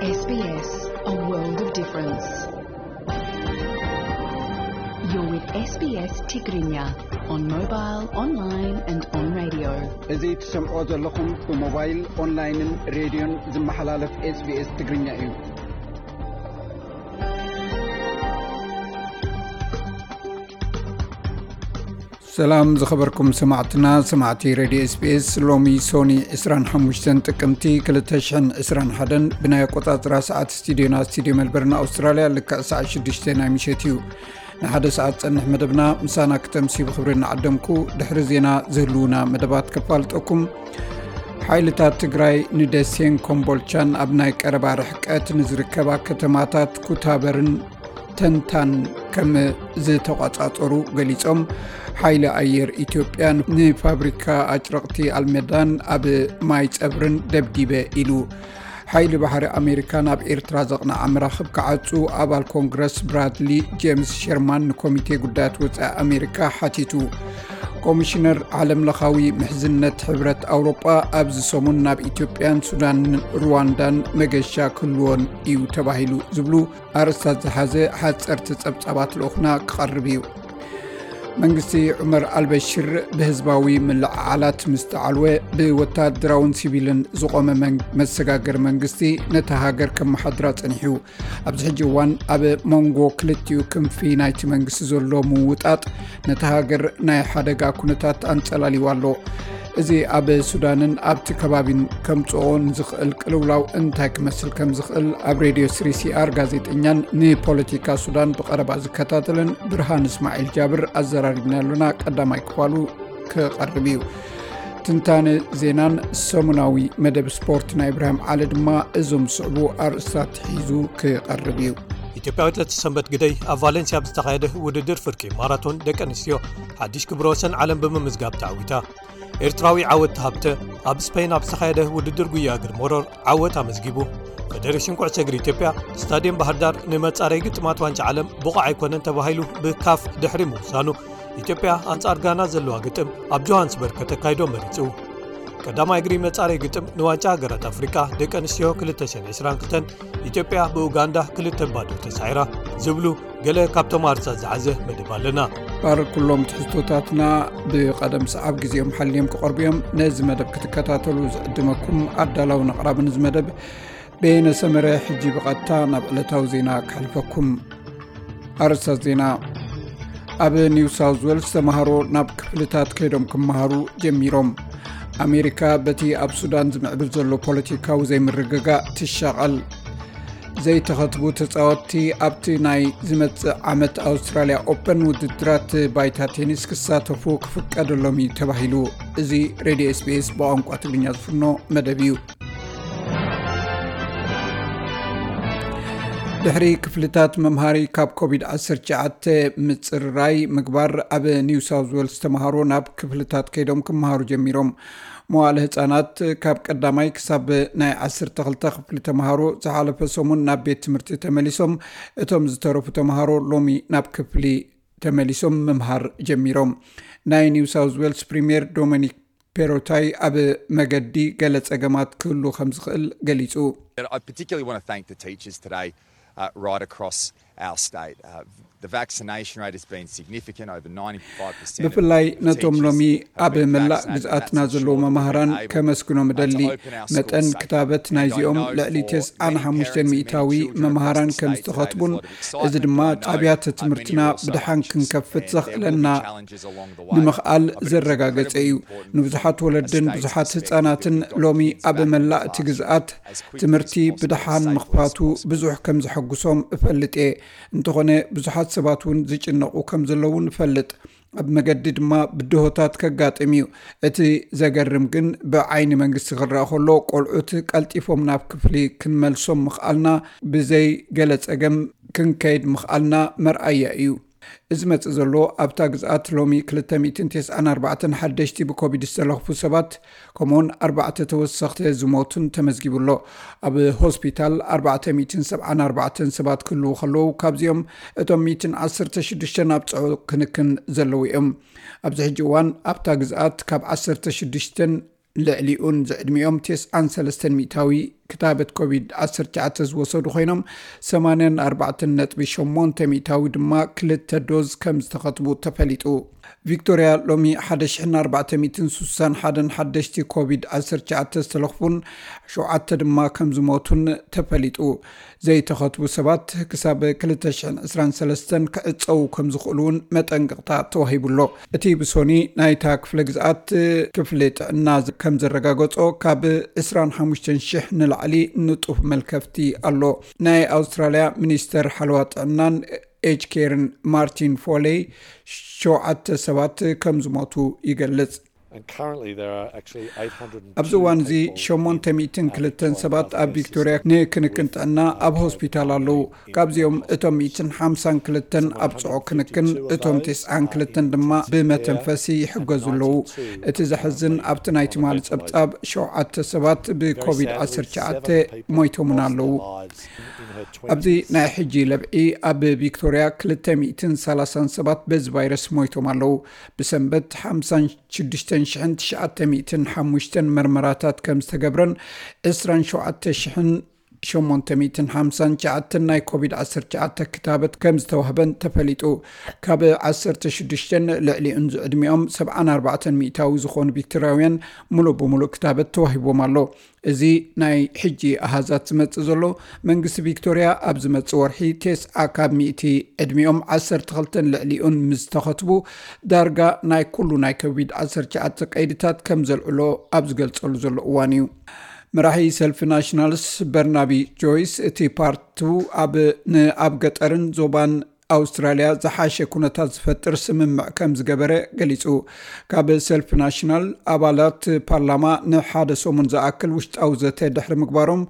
S B S, a world of difference. You're with S B S Tigrinya on mobile, online and on radio. እዚ ትሰምዖ ዘለኹም ብሞባይል፣ ኦንላይንን ሬድዮን ዝመሓላለፍ SBS ትግርኛ እዩ። ሰላም ዝኸበርኩም ሰማዕትና፣ ሰማዕቲ ሬድዮ SBS። ሎሚ ሶኒ ዕስራን ሓሙሽተን ጥቅምቲ ክልተ ሽሕን ዕስራን ሓደን ብናይ ኣቆጻጽራ ሰዓት ስቱዲዮና፣ ስቱዲዮ ሜልበርን ኣውስትራልያ፣ ልክዕ ሰዓት ሽዱሽተ ናይ ምሸት እዩ። ንሓደ ሰዓት ጸንሕ መደብና ምሳና ክተምሲ ብኽብሪ እናዓደምኩ፣ ድሕሪ ዜና ዝህልዉና መደባት ከፋልጠኩም። ሓይልታት ትግራይ ንደሴን ኮምቦልቻን ኣብ ናይ ቀረባ ርሕቀት ንዝርከባ ከተማታት ኩታበርን ተንታን ከም ዝተቋጻጸሩ ገሊጾም። ሓይሊ ኣየር ኢትዮጵያ ንፋብሪካ ኣጭረቕቲ ኣልመዳን ኣብ ማይ ጸብርን ደብዲበ ኢሉ። ሓይሊ ባሕሪ ኣሜሪካ ናብ ኤርትራ ዘቕንዓ መራኽብ ክዓጹ ኣባል ኮንግረስ ብራድሊ ጄምስ ሸርማን ንኮሚቴ ጉዳያት ወጻኢ ኣሜሪካ ሓቲቱ። ኮሚሽነር ዓለምለኻዊ ምሕዝነት ሕብረት ኣውሮጳ ኣብዚ ሰሙን ናብ ኢትዮጵያን ሱዳንን ሩዋንዳን መገሻ ክህልዎን እዩ ተባሂሉ ዝብሉ ኣርእስታት ዝሓዘ ሓጸርቲ ጸብጻባት ልኡኽና ክቐርብ እዩ። መንግስቲ ዑመር ኣልበሽር ብህዝባዊ ምልዕዓላት ምስ ተዓልወ፣ ብወታደራውን ሲቪልን ዝቖመ መን-፣ መሰጋገሪ መንግስቲ ነታ ሃገር ከመሓድራ ጸኒሑ። ኣብዚ ሕጂ እዋን ኣብ መንጎ ክልቲኡ ክንፊ ናይቲ መንግስቲ ዘሎ ምውጣጥ ነታ ሃገር ናይ ሓደጋ ኩነታት ኣንጸላልይዋ ኣሎ። እዚ ኣብ ሱዳንን ኣብቲ ከባቢን ከምጽኦ ንዝኽእል ቅልውላው እንታይ ክመስል ከም ዝኽእል ኣብ ሬድዮ ስሪ ሲ ኣር ጋዜጠኛን ንፖለቲካ ሱዳን ብቐረባ ዝከታተልን ብርሃን እስማዒል ጃብር ኣዘራሪብና ኣሎና። ቀዳማይ ክፋሉ ክቐርብ እዩ። ትንታነ ዜናን ሰሙናዊ መደብ ስፖርት ናይ ኢብራሂም ዓሊ ድማ እዞም ዝስዕቡ ኣርእስታት ሒዙ ክቐርብ እዩ። ኢትዮጵያዊት ለተሰንበት ግደይ ኣብ ቫሌንሲያ ብዝተኻየደ ውድድር ፍርቂ ማራቶን ደቂ ኣንስትዮ ሓድሽ ክብረ ወሰን ዓለም ብምምዝጋብ ተዓዊታ። ኤርትራዊ ዓወት ሃብተ ኣብ ስፔን ኣብ ዝተኻየደ ውድድር ጉያ እግሪ ሞሮር ዓወት ኣመዝጊቡ። ፌዴሬሽን ኩዕሶ እግሪ ኢትዮጵያ ስታዲየም ባህር ዳር ንመጻረይ ግጥማት ዋንጫ ዓለም ብቑዕ ኣይኮነን ተባሂሉ ብካፍ ድሕሪ ምውሳኑ፣ ኢትዮጵያ ኣንጻር ጋና ዘለዋ ግጥም ኣብ ጆሃንስበርግ ከተካይዶ መሪጹ። ቀዳማይ እግሪ መጻረይ ግጥም ንዋንጫ ሃገራት ኣፍሪቃ ደቂ ኣንስትዮ ክልተ ሽሕን ዕስራን ክልተን ኢትዮጵያ ብኡጋንዳ ክልተ ባዶ ተሳዒራ ዝብሉ ገለ ካብቶም ኣርእስታት ዝሓዘ መደብ ኣለና። ባር ኩሎም ትሕዝቶታትና ብቐደም ሰዓብ ግዜኦም ሓልዮም ክቐርቡ እዮም። ነዚ መደብ ክትከታተሉ ዝዕድመኩም ኣዳላውን ኣቕራብን እዚ መደብ በየነ ሰመረ። ሕጂ ብቐጥታ ናብ ዕለታዊ ዜና ክሓልፈኩም። ኣርእስታት ዜና። ኣብ ኒው ሳውዝ ዌልስ ተምሃሮ ናብ ክፍልታት ከይዶም ክመሃሩ ጀሚሮም። ኣሜሪካ በቲ ኣብ ሱዳን ዝምዕብል ዘሎ ፖለቲካዊ ዘይምርግጋእ ትሻቐል። ዘይተኸትቡ ተጻወትቲ ኣብቲ ናይ ዝመጽእ ዓመት ኣውስትራልያ ኦፐን ውድድራት ባይታ ቴኒስ ክሳተፉ ክፍቀደሎም እዩ ተባሂሉ። እዚ ሬድዮ SBS ብቋንቋ ትግርኛ ዝፍኖ መደብ እዩ። ድሕሪ ክፍልታት መምሃሪ ካብ ኮቪድ ዓሰርተ ትሽዓተ ምጽርራይ ምግባር፣ ኣብ ኒው ሳውዝ ዌልስ ተምሃሮ ናብ ክፍልታት ከይዶም ክመሃሩ ጀሚሮም። መዋእለ ህጻናት ካብ ቀዳማይ ክሳብ ናይ ዓሰርተ ክልተ ክፍሊ ተምሃሮ ዝሓለፈ ሰሙን ናብ ቤት ትምህርቲ ተመሊሶም። እቶም ዝተረፉ ተምሃሮ ሎሚ ናብ ክፍሊ ተመሊሶም ምምሃር ጀሚሮም። ናይ ኒው ሳውዝ ዌልስ ፕሪምየር ዶሚኒክ ፔሮታይ ኣብ መገዲ ገለ ጸገማት ክህሉ ከም ዝኽእል ገሊጹ። I particularly want to thank the teachers today, uh, right across our state. Uh, the vaccination rate has been significant, over ninety-five percent of ብፍላይ of ነቶም teachers ሎሚ have ኣብ been መላእ vaccinated, and ግዝኣትና that's ዘለዉ ensured that we've መማህራን been able ከመስግኖም to እደሊ። open our schools መጠን safely. ክታበት And I ናይዚኦም know ልዕሊ for ተስዓን many ሓሙሽተን parents and ሚእታዊ many children መማህራን across the ከም state today, there's ዝተኸትቡን a lot of excitement, እዚ ድማ but I know, ኣብያተ uh, many ትምህርትና are also ብድሓን anxious, ክንከፍት and there will be ዘኽእለና challenges along the way. ንምኽኣል Uh, but it's ዘረጋገጸ incredibly እዩ። important, ንብዙሓት uh, ወለድን they ብዙሓት expect ህጻናትን to get ሎሚ kids ኣብ back into መላእ እቲ classroom ግዝኣት as quickly ትምህርቲ as possible, ብድሓን as safely ምኽፋቱ as possible. ብዙሕ ከም ዘሐጉሶም እፈልጥ እየ። እንተኾነ ብዙሓት ሰባት እውን ዝጭነቑ ከም ዘለዉ ንፈልጥ። ኣብ መገዲ ድማ ብድሆታት ከጋጥም እዩ። እቲ ዘገርም ግን ብዓይኒ መንግስቲ ክረኣ ከሎ ቆልዑት ቀልጢፎም ናብ ክፍሊ ክንመልሶም ምኽኣልና፣ ብዘይ ገለ ጸገም ክንከይድ ምኽኣልና መርኣያ እዩ። እዚ መጽእ ዘሎ ኣብታ ግዝኣት ሎሚ ክልተ ሚእትን ተስዓን ኣርባዕተን ሓደሽቲ ብኮቪድ ዝተለኽፉ ሰባት ከምኡውን ኣርባዕተ ተወሰኽቲ ዝሞቱን ተመዝጊቡ ኣሎ። ኣብ ሆስፒታል ኣርባዕተ ሚእትን ሰብዓን ኣርባዕተን ሰባት ክህልዉ ከለዉ ካብዚኦም እቶም ሚእትን ዓሰርተ ሽዱሽተን ኣብ ጽዑቕ ክንክን ዘለዉ እዮም። ኣብዚ ሕጂ እዋን ኣብታ ግዝኣት ካብ ዓሰርተ ሽዱሽተን ልዕሊኡን ዝዕድሚኦም ተስዓን ሰለስተን ሚእታዊ ክታበት ኮቪድ ዓሰርተ ትሽዓተ ዝወሰዱ ኮይኖም፣ ሰማንያን ኣርባዕተን ነጥቢ ሸሞንተ ሚእታዊ ድማ ክልተ ዶዝ ከም ዝተኸትቡ ተፈሊጡ። ቪክቶርያ ሎሚ ሓደ ሽሕን ኣርባዕተ ሚእትን ስሳን ሓደን ሓደሽቲ ኮቪድ ዓሰርተ ትሽዓተ ዝተለኽፉን ሸውዓተ ድማ ከም ዝሞቱን ተፈሊጡ። ዘይተኸትቡ ሰባት ክሳብ ክልተ ሽሕን ዕስራን ሰለስተን ክዕጸዉ ከም ዝኽእሉ እውን መጠንቀቕታ ተዋሂቡ ኣሎ። እቲ ብሶኒ ናይታ ክፍለ ግዝኣት ክፍሊ ጥዕና ከም ዘረጋገጾ፣ ካብ ዕስራን ሓሙሽተን ሽሕ ንላዕሊ ንጡፍ መልከፍቲ ኣሎ። ናይ ኣውስትራልያ ሚኒስተር ሓለዋ ጥዕናን ኤጅ ኬርን ማርቲን ፎሌይ ሸውዓተ ሰባት ከም ዝሞቱ ይገልጽ። And currently there are actually ኣብዚ እዋን እዚ ሸሞንተ ሚእትን ክልተን ሰባት ኣብ ቪክቶርያ ንክንክን ጥዕና ኣብ ሆስፒታል ኣለዉ። ካብዚኦም እቶም ሚእትን ሓምሳን ክልተን ኣብ ጽዑቕ ክንክን፣ እቶም ተስዓን ክልተን ድማ ብመተንፈሲ ይሕገዙ ኣለዉ። እቲ ዘሕዝን፣ ኣብቲ ናይ ትማሊ ጸብጻብ ሸውዓተ ሰባት ብኮቪድ ዓሰርተ ትሽዓተ ሞይቶምን ኣለዉ። ኣብዚ ናይ ሕጂ ለብዒ ኣብ ቪክቶርያ ክልተ ሚእትን ሰላሳን ሰባት በዚ ቫይረስ ሞይቶም ኣለዉ። ብሰንበት ሓምሳን ሽዱሽተን ሽሕን ትሽዓተ ሚእትን ሓሙሽተን መርመራታት ከም ዝተገብረን ዕስራን ሸውዓተ ሽሕን ሸሞንተ ሚእትን ሓምሳን ትሽዓተን ናይ ኮቪድ ዓሰርተ ትሽዓተ ክታበት ከም ዝተዋህበን ተፈሊጡ። ካብ ዓሰርተ ሽዱሽተን ልዕሊኡን ዝዕድሚኦም ሰብዓን ኣርባዕተን ሚእታዊ ዝኾኑ ቪክቶርያውያን ሙሉእ ብሙሉእ ክታበት ተዋሂቦም ኣሎ። እዚ ናይ ሕጂ ኣሃዛት ዝመጽእ ዘሎ፣ መንግስቲ ቪክቶርያ ኣብ ዝመጽእ ወርሒ ተስዓ ካብ ሚእቲ ዕድሚኦም ዓሰርተ ክልተን ልዕሊኡን ምስ ተኸትቡ፣ ዳርጋ ናይ ኩሉ ናይ ኮቪድ ዓሰርተ ትሽዓተ ቀይድታት ከም ዘልዕሎ ኣብ ዝገልጸሉ ዘሎ እዋን እዩ። መራሒ ሰልፊ ናሽናልስ በርናቢ ጆይስ፣ እቲ ፓርቱ ኣብ፣ ንኣብ ገጠርን ዞባን ኣውስትራልያ ዝሓሸ ኩነታት ዝፈጥር ስምምዕ ከም ዝገበረ ገሊጹ። ካብ ሰልፊ ናሽናል ኣባላት ፓርላማ ንሓደ ሰሙን ዝኣክል ውሽጣዊ ዘተ ድሕሪ ምግባሮም፣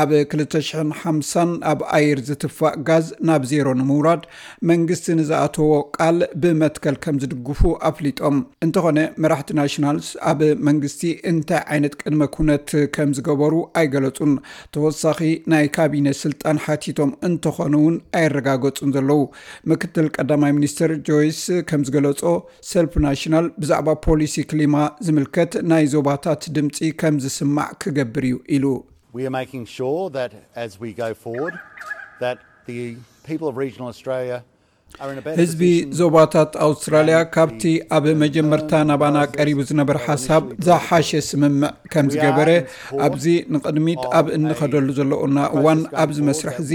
ኣብ ክልተ ሽሕን ሓምሳን ኣብ ኣየር ዝትፋእ ጋዝ ናብ ዜሮ ንምውራድ መንግስቲ ንዝኣተዎ ቃል ብመትከል ከም ዝድግፉ ኣፍሊጦም። እንተኾነ፣ መራሕቲ ናሽናልስ ኣብ መንግስቲ እንታይ ዓይነት ቅድመ ኩነት ከም ዝገበሩ ኣይገለጹን። ተወሳኺ ናይ ካቢነ ስልጣን ሓቲቶም እንተኾኑ እውን ኣየረጋገጹን ዘለዉ። ምክትል ቀዳማይ ሚኒስትር ጆይስ ከም ዝገለጾ፣ ሰልፊ ናሽናል ብዛዕባ ፖሊሲ ክሊማ ዝምልከት ናይ ዞባታት ድምጺ ከም ዝስማዕ ክገብር እዩ ኢሉ። We are making sure that as we go forward, that the people of regional Australia are in a better ህዝቢ position ዞባታት ኣውስትራልያ ካብቲ ኣብ መጀመርታ ናባና ቀሪቡ ዝነበረ ሓሳብ ዝሓሸ ስምምዕ ከም ዝገበረ፣ ኣብዚ ንቕድሚት ኣብ እንኸደሉ ዘለኡና እዋን ኣብዚ መስርሕ እዚ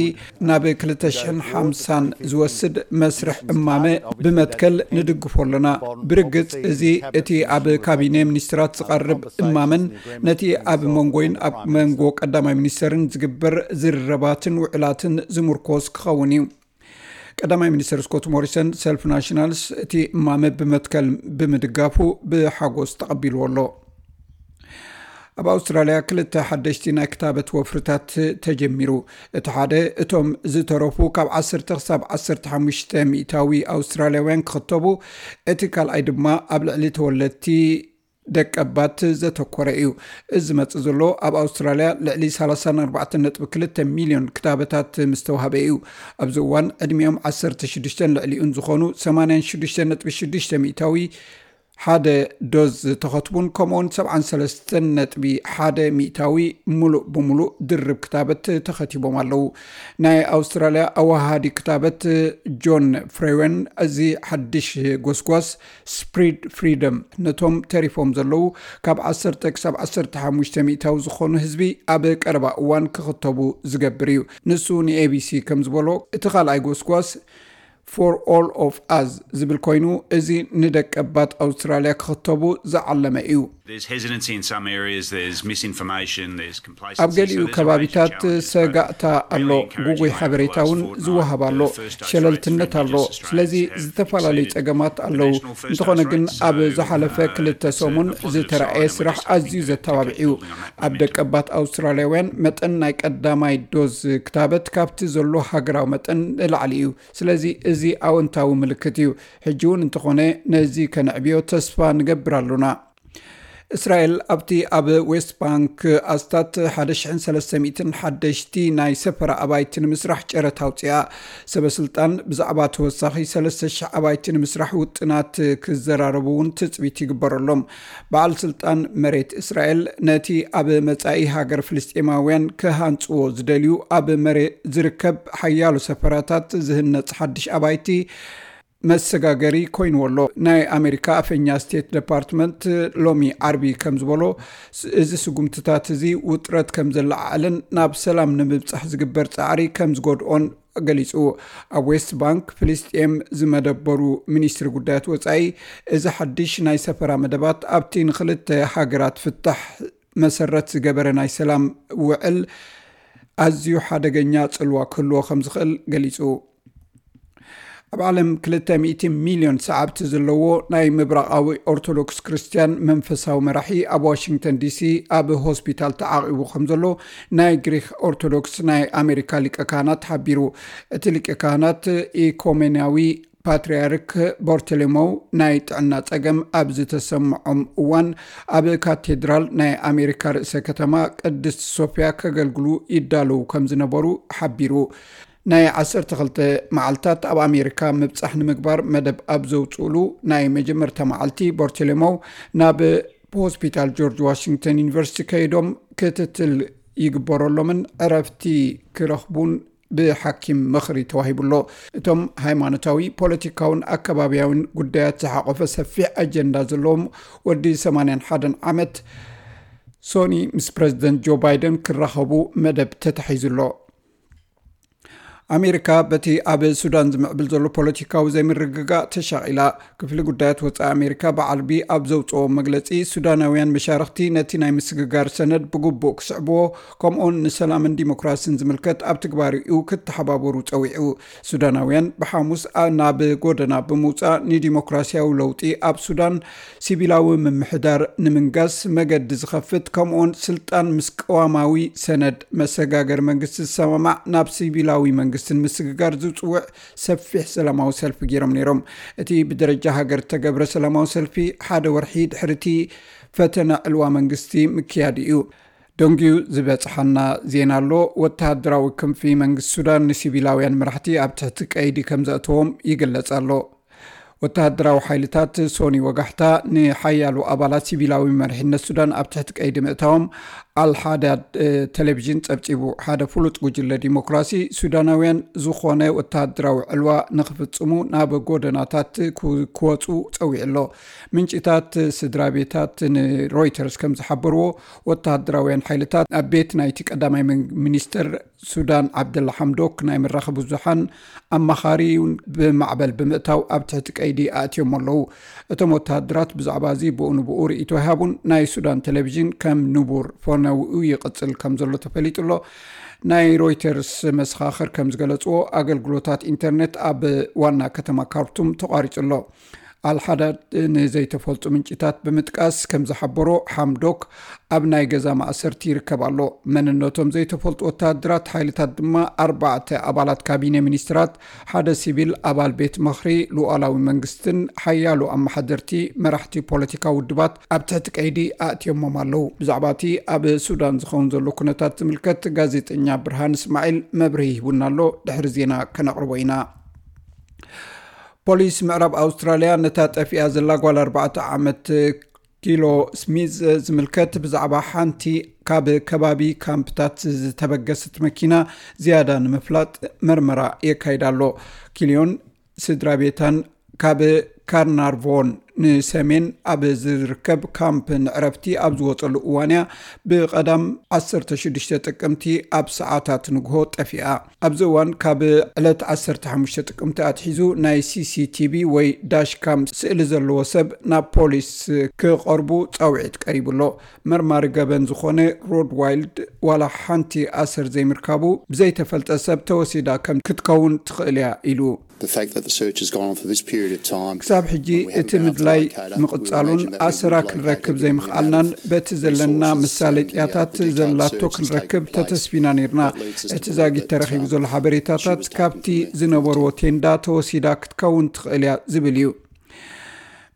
ናብ ክልተ ሽሕን ሓምሳን ዝወስድ መስርሕ እማመ ብመትከል ንድግፎ ኣለና። ብርግጽ እዚ እቲ ኣብ ካቢነ ሚኒስትራት ዝቐርብ እማመን ነቲ ኣብ መንጎይን ኣብ መንጎ ቀዳማይ ሚኒስተርን ዝግበር ዝርርባትን ውዕላትን ዝምርኮስ ክኸውን እዩ። ቀዳማይ ሚኒስተር ስኮት ሞሪሰን ሰልፍ ናሽናልስ እቲ እማመ ብመትከል ብምድጋፉ ብሓጎስ ተቐቢልዎ ኣሎ። ኣብ ኣውስትራልያ ክልተ ሓደሽቲ ናይ ክታበት ወፍርታት ተጀሚሩ። እቲ ሓደ፣ እቶም ዝተረፉ ካብ ዓሰርተ ክሳብ ዓሰርተ ሓሙሽተ ሚእታዊ ኣውስትራልያውያን ክኽተቡ፣ እቲ ካልኣይ ድማ ኣብ ልዕሊ ተወለድቲ ደቀባት ዘተኮረ እዩ። እዚ ዝመጽእ ዘሎ ኣብ ኣውስትራልያ ልዕሊ ሰላሳን ኣርባዕተን ነጥቢ ክልተ ሚልዮን ክታበታት ምስ ተዋህበ እዩ። ኣብዚ እዋን ዕድሚኦም ዓሰርተ ሽዱሽተን ልዕሊኡን ዝኾኑ ሰማንያን ሽዱሽተን ነጥቢ ሽዱሽተ ሚእታዊ ሓደ ዶዝ ዝተኸትቡን ከምኡውን ሰብዓን ሰለስተን ነጥቢ ሓደ ሚእታዊ ሙሉእ ብሙሉእ ድርብ ክታበት ተኸቲቦም ኣለዉ። ናይ ኣውስትራልያ ኣወሃሃዲ ክታበት ጆን ፍሬወን፣ እዚ ሓድሽ ጎስጓስ ስፕሪድ ፍሪደም ነቶም ተሪፎም ዘለዉ ካብ ዓሰርተ ክሳብ ዓሰርተ ሓሙሽተ ሚእታዊ ዝኾኑ ህዝቢ ኣብ ቀረባ እዋን ክኽተቡ ዝገብር እዩ። ንሱ ንኤቢሲ ከም ዝበሎ፣ እቲ ካልኣይ ጎስጓስ ፎር ኦል ኦፍ ኣዝ ዝብል ኮይኑ፣ እዚ ንደቀባት ኣውስትራልያ ክኽተቡ ዝዓለመ እዩ። There's hesitancy in some areas, there's misinformation, there's complacency. ኣብ ገሊኡ ከባቢታት ሰጋእታ ኣሎ፣ ጉጉይ ሓበሬታ እውን ዝወሃብ ኣሎ፣ ሸለልትነት ኣሎ። ስለዚ ዝተፈላለዩ ጸገማት ኣለዉ። እንተኾነ ግን ኣብ ዝሓለፈ ክልተ ሰሙን ዝተራእየ ስራሕ ኣዝዩ ዘተባብዕ እዩ። ኣብ ደቀባት ኣውስትራልያውያን መጠን ናይ ቀዳማይ ዶዝ ክታበት ካብቲ ዘሎ ሃገራዊ መጠን ንላዕሊ እዩ። ስለዚ እዚ ኣወንታዊ ምልክት እዩ። ሕጂ እውን እንተኾነ ነዚ ከነዕብዮ ተስፋ ንገብር ኣሎና። እስራኤል ኣብቲ ኣብ ዌስት ባንክ ኣስታት ሓደ ሽሕን ሰለስተ ሚእትን ሓደሽቲ ናይ ሰፈራ ኣባይቲ ንምስራሕ ጨረታ ኣውፅኣ። ሰበ ስልጣን ብዛዕባ ተወሳኺ ሰለስተ ሽሕ ኣባይቲ ንምስራሕ ውጥናት ክዘራረቡ እውን ትፅቢት ይግበረሎም። በዓል ስልጣን መሬት እስራኤል ነቲ ኣብ መጻኢ ሃገር ፍልስጤማውያን ክሃንጽዎ ዝደልዩ ኣብ መሬት ዝርከብ ሓያሎ ሰፈራታት ዝህነጽ ሓድሽ ኣባይቲ መሰጋገሪ ኮይንዎ ኣሎ። ናይ ኣሜሪካ ኣፈኛ ስቴት ዲፓርትመንት ሎሚ ዓርቢ ከም ዝበሎ፣ እዚ ስጉምትታት እዚ ውጥረት ከም ዘለዓዕልን ናብ ሰላም ንምብጻሕ ዝግበር ጻዕሪ ከም ዝጎድኦን ገሊጹ። ኣብ ዌስት ባንክ ፍልስጤም ዝመደበሩ ሚኒስትሪ ጉዳያት ወጻኢ፣ እዚ ሓድሽ ናይ ሰፈራ መደባት ኣብቲ ንክልተ ሃገራት ፍታሕ መሰረት ዝገበረ ናይ ሰላም ውዕል ኣዝዩ ሓደገኛ ጽልዋ ክህልዎ ከም ዝኽእል ገሊጹ። ኣብ ዓለም ክልተ ሚእቲ ሚልዮን ሰዓብቲ ዘለዎ ናይ ምብራቓዊ ኦርቶዶክስ ክርስትያን መንፈሳዊ መራሒ ኣብ ዋሽንግተን ዲሲ ኣብ ሆስፒታል ተዓቒቡ ከም ዘሎ ናይ ግሪክ ኦርቶዶክስ ናይ ኣሜሪካ ሊቀ ካህናት ሓቢሩ። እቲ ሊቀ ካህናት ኢኮሜንያዊ ፓትርያርክ ቦርተሌሞው ናይ ጥዕና ጸገም ኣብ ዝተሰምዖም እዋን፣ ኣብ ካቴድራል ናይ ኣሜሪካ ርእሰ ከተማ ቅድስት ሶፊያ ከገልግሉ ይዳለዉ ከም ዝነበሩ ሓቢሩ። ናይ ዓሰርተ ክልተ መዓልታት ኣብ ኣሜሪካ ምብጻሕ ንምግባር መደብ ኣብ ዘውጽኡሉ ናይ መጀመርታ መዓልቲ፣ ቦርተሌሞው ናብ ሆስፒታል ጆርጅ ዋሽንግተን ዩኒቨርሲቲ ከይዶም ክትትል ይግበረሎምን ዕረፍቲ ክረኽቡን ብሓኪም ምኽሪ ተዋሂቡ ኣሎ። እቶም ሃይማኖታዊ፣ ፖለቲካውን ኣከባብያውን ጉዳያት ዝሓቆፈ ሰፊሕ ኣጀንዳ ዘለዎም ወዲ ሰማንያን ሓደን ዓመት ሶኒ ምስ ፕረዚደንት ጆ ባይደን ክራኸቡ መደብ ተታሒዙ ኣሎ። ኣሜሪካ በቲ ኣብ ሱዳን ዝምዕብል ዘሎ ፖለቲካዊ ዘይምርግጋእ ተሻቒላ። ክፍሊ ጉዳያት ወጻኢ ኣሜሪካ ብዓርቢ ኣብ ዘውጽኦ መግለጺ፣ ሱዳናውያን መሻርኽቲ ነቲ ናይ ምስግጋር ሰነድ ብግቡእ ክስዕብዎ፣ ከምኡውን ንሰላምን ዲሞክራሲን ዝምልከት ኣብ ትግባሪኡ ክተሓባበሩ ጸዊዑ። ሱዳናውያን ብሓሙስ ኣ-፣ ናብ ጎደና ብምውጻእ፣ ንዲሞክራሲያዊ ለውጢ ኣብ ሱዳን፣ ሲቪላዊ ምምሕዳር ንምንጋስ መገዲ ዝኸፍት፣ ከምኡውን ስልጣን ምስ ቅዋማዊ ሰነድ መሰጋገር መንግስቲ ዝሰማማዕ ናብ ሲቪላዊ መንግስቲ ንምስግጋር ዝጽውዕ ሰፊሕ ሰላማዊ ሰልፊ ገይሮም ነይሮም። እቲ ብደረጃ ሃገር እተገብረ ሰላማዊ ሰልፊ፣ ሓደ ወርሒ ድሕሪ እቲ ፈተነ ዕልዋ መንግስቲ ምክያዱ እዩ። ደንጊዩ ዝበጽሓና ዜና ኣሎ። ወተሃደራዊ ክንፊ መንግስቲ ሱዳን ንሲቪላውያን መራሕቲ ኣብ ትሕቲ ቀይዲ ከም ዘእተዎም ይግለጽ ኣሎ። ወተሃደራዊ ሓይልታት ሶኒ ወጋሕታ ንሓያሎ ኣባላት ሲቪላዊ መሪሕነት ሱዳን ኣብ ትሕቲ ቀይዲ ምእታዎም ኣልሓዳድ፣ እ፣ ቴሌቪዥን ጸብጺቡ። ሓደ ፍሉጥ ጉጅለ ዲሞክራሲ ሱዳናውያን ዝኾነ ወተሃደራዊ ዕልዋ ንኽፍጽሙ ናብ ጎደናታት ክው-፣ ክወጹ ጸዊዑ ኣሎ። ምንጭታት ስድራ ቤታት ንሮይተርስ ከም ዝሓበርዎ፣ ወተሃደራውያን ሓይልታት ኣብ ቤት ናይቲ ቀዳማይ ምን-፣ ሚኒስትር ሱዳን ዓብደላ ሓምዶክ ናይ መራኸቢ ብዙሓን ኣማኻሪ እውን ብማዕበል ብምእታው ኣብ ትሕቲ ቀይዲ ኣእትዮም ኣለዉ። እቶም ወተሃደራት ብዛዕባ እዚ ብኡ ንብኡ ርእይቶ ኣይሃቡን። ናይ ሱዳን ቴሌቪዥን ከም ንቡር ፈነውኡ ይቕጽል ከም ዘሎ ተፈሊጡ ኣሎ። ናይ ሮይተርስ መሰኻኽር ከም ዝገለጽዎ፣ ኣገልግሎታት ኢንተርኔት ኣብ ዋና ከተማ ካርቱም ተቋሪጹ ኣሎ። ኣልሓዳድ ንዘይተፈልጡ ምንጭታት ብምጥቃስ ከም ዝሓበሮ፣ ሓምዶክ ኣብ ናይ ገዛ ማእሰርቲ ይርከብ ኣሎ። መንነቶም ዘይተፈልጡ ወተሃደራት ሓይልታት ድማ ኣርባዕተ ኣባላት ካቢነ ሚኒስትራት፣ ሓደ ሲቪል ኣባል ቤት ምኽሪ ሉኣላዊ መንግስትን ሓያሎ ኣመሓደርቲ መራሕቲ ፖለቲካዊ ውድባት ኣብ ትሕቲ ቀይዲ ኣእትዮሞም ኣለዉ። ብዛዕባ እቲ ኣብ ሱዳን ዝኸውን ዘሎ ኩነታት ዝምልከት ጋዜጠኛ ብርሃን እስማዒል መብርሂ ሂቡና ኣሎ። ድሕሪ ዜና ከነቕርቦ ኢና። ፖሊስ ምዕራብ ኣውስትራልያ ነታ ጠፊኣ ዘላ ጓል ኣርባዕተ ዓመት ኪሎ ስሚዝ ዝምልከት ብዛዕባ ሓንቲ ካብ ከባቢ ካምፕታት ዝተበገሰት መኪና ዝያዳ ንምፍላጥ መርመራ የካይድ ኣሎ። ኪልዮን ስድራ ቤታን ካብ ካርናርቮን ንሰሜን ኣብ ዝርከብ ካምፕ ንዕረፍቲ ኣብ ዝወጸሉ እዋን እያ ብቐዳም ዓሰርተ ሽዱሽተ ጥቅምቲ ኣብ ሰዓታት ንግሆ ጠፊኣ። ኣብዚ እዋን ካብ ዕለት ዓሰርተ ሓሙሽተ ጥቅምቲ ኣትሒዙ ናይ ሲ ሲ ቲ ቪ ወይ ዳሽ ካም ስእሊ ዘለዎ ሰብ ናብ ፖሊስ ክቐርቡ ጻውዒት ቀሪቡ ኣሎ። መርማሪ ገበን ዝኾነ ሮድ ዋይልድ ዋላ ሓንቲ ኣሰር ዘይምርካቡ ብዘይተፈልጠ ሰብ ተወሲዳ ከም ክትከውን ትኽእል እያ ኢሉ። The fact that the search has gone on for this period of time, ክሳብ ሕጂ እቲ ምድላይ ምቕጻሉን ኣሰራ ክንረክብ ዘይምኽኣልናን በቲ ዘለና መሳለጥያታት ዘላቶ ክንረክብ ተተስፊና ነርና። እቲ ዛጊት ተረኺቡ ዘሎ ሓበሬታታት ካብቲ ዝነበርዎ ቴንዳ ተወሲዳ ክትከውን ትኽእል እያ ዝብል እዩ።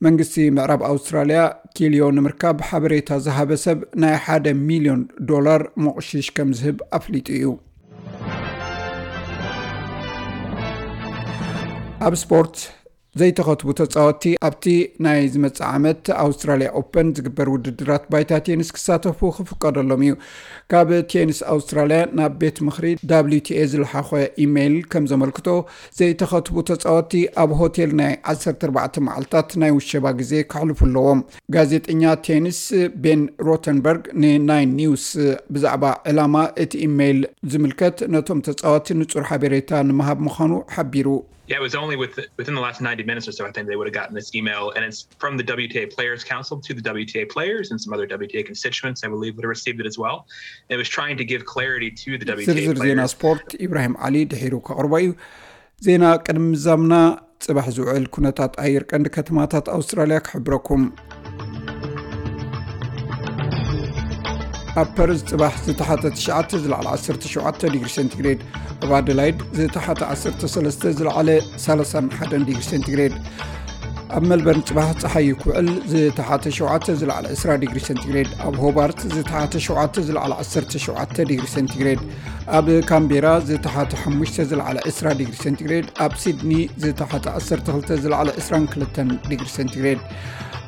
መንግስቲ ምዕራብ ኣውስትራልያ ኪልዮ ንምርካብ ሓበሬታ ዝሃበ ሰብ ናይ ሓደ ሚልዮን ዶላር መቑሽሽ ከም ዝህብ ኣፍሊጡ እዩ። ኣብ ስፖርት፣ ዘይተኸትቡ ተጻወትቲ ኣብቲ ናይ ዝመጽእ ዓመት ኣውስትራልያ ኦፐን ዝግበር ውድድራት ባይታ ቴኒስ ክሳተፉ ክፍቀደሎም እዩ። ካብ ቴኒስ ኣውስትራልያ ናብ ቤት ምኽሪ W T A ዝለሓኾ ኢሜይል ከም ዘመልክቶ፣ ዘይተኸትቡ ተጻወትቲ ኣብ ሆቴል ናይ ዓሰርተ ኣርባዕተ መዓልታት ናይ ውሸባ ግዜ ከሕልፉ ኣለዎም። ጋዜጠኛ ቴኒስ ቤን ሮተንበርግ ንናይን ኒውስ ብዛዕባ ዕላማ እቲ ኢሜይል ዝምልከት ነቶም ተጻወትቲ ንጹር ሓበሬታ ንምሃብ ምዃኑ ሓቢሩ። Yeah, it was only with, within the last ninety minutes or so, I think they would have gotten this email, and it's from the W T A Players Council to the W T A players and some other W T A constituents, I believe, would have received it as well. It was trying to give clarity to the W T A ዝርዝር ዜና players. ስፖርት ኢብራሂም ዓሊ ድሒሩ ከቕርቦ እዩ። ዜና ቅድሚ ምዛምና፣ ጽባሕ ዝውዕል ኩነታት ኣየር ቀንዲ ከተማታት ኣውስትራልያ ክሕብረኩም። ኣብ ፐርዝ ጽባሕ ዝተሓተ ትሽዓተ ዝለዓለ ዓሰርተ ሸውዓተ ዲግሪ ሴንቲግሬድ፣ ኣብ ኣደላይድ ዝተሓተ ዓሰርተ ሰለስተ ዝለዓለ ሰላሳን ሓደን ዲግሪ ሴንቲግሬድ፣ ኣብ መልበርን ጽባሕ ጸሓይ ክውዕል ዝተሓተ ሸውዓተ ዝለዓለ ዕስራ ዲግሪ ሴንቲግሬድ፣ ኣብ ሆባርት ዝተሓተ ሸውዓተ ዝለዓለ ዓሰርተ ሸውዓተ ዲግሪ ሴንቲግሬድ፣ ኣብ ካምቤራ ዝተሓተ ሓሙሽተ ዝለዓለ ዕስራ ዲግሪ ሴንቲግሬድ፣ ኣብ ሲድኒ ዝተሓተ ዓሰርተ ክልተ ዝለዓለ ዕስራን ክልተን ዲግሪ ሴንቲግሬድ፣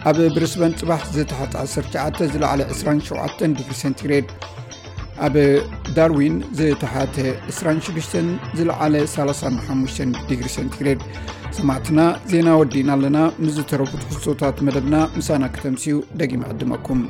ኣብ ብሪስበን ጽባሕ ዝተሓተ ዓሰርተ ትሽዓተ ዝለዓለ ዕስራን ሸውዓተን ዲግሪ ሴንቲግሬድ፣ ኣብ ዳርዊን ዝተሓተ ዕስራን ሽዱሽተን ዝለዓለ ሰላሳን ሓሙሽተን ዲግሪ ሴንቲግሬድ። ሰማዕትና፣ ዜና ወዲእና ኣለና። ምስ ዝተረፉ ትሕዝቶታት መደብና ምሳና ክተምስዩ ደጊመ ዕድመኩም።